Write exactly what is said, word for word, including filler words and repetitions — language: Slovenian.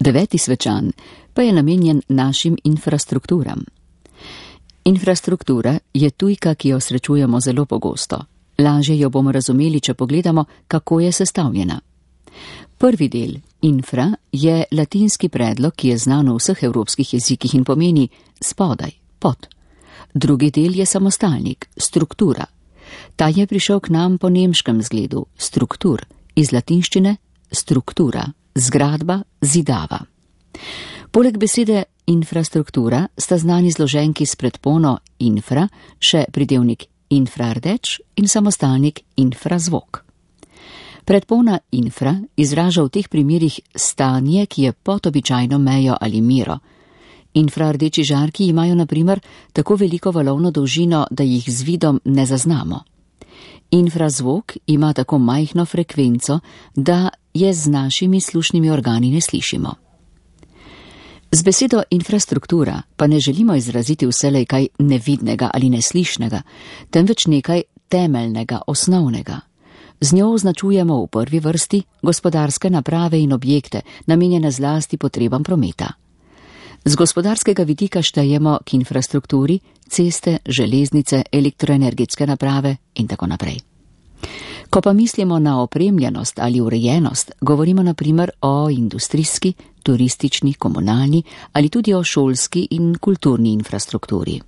Deveti svečan pa je namenjen našim infrastrukturam. Infrastruktura je tujka, ki jo srečujemo zelo pogosto. Lažje jo bomo razumeli, če pogledamo, kako je sestavljena. Prvi del, infra, je latinski predlog, ki je znan v vseh evropskih jezikih in pomeni spodaj, pod. Drugi del je samostalnik, struktura. Ta je prišel k nam po nemškem zgledu, struktur, iz latinščine struktura, zgradba, zidava. Poleg besede infrastruktura sta znani zloženki s predpono infra, še pridevnik infrardeč in samostalnik infrazvok. Predpona infra izraža v teh primerih stanje, ki je pod običajno mejo ali mero. Infrardeči žarki imajo na primer tako veliko valovno dolžino, da jih z vidom ne zaznamo. Infrazvok ima tako majhno frekvenco, da je z našimi slušnimi organi ne slišimo. Z besedo infrastruktura pa ne želimo izraziti vselej kaj nevidnega ali neslišnega, temveč nekaj temeljnega, osnovnega. Z njo označujemo v prvi vrsti gospodarske naprave in objekte, namenjene zlasti potrebam prometa. Z gospodarskega vidika štejemo k infrastrukturi ceste, železnice, elektroenergetske naprave in tako naprej. Ko pa mislimo na opremljenost ali urejenost, govorimo na primer o industrijski, turistični, komunalni ali tudi o šolski in kulturni infrastrukturi.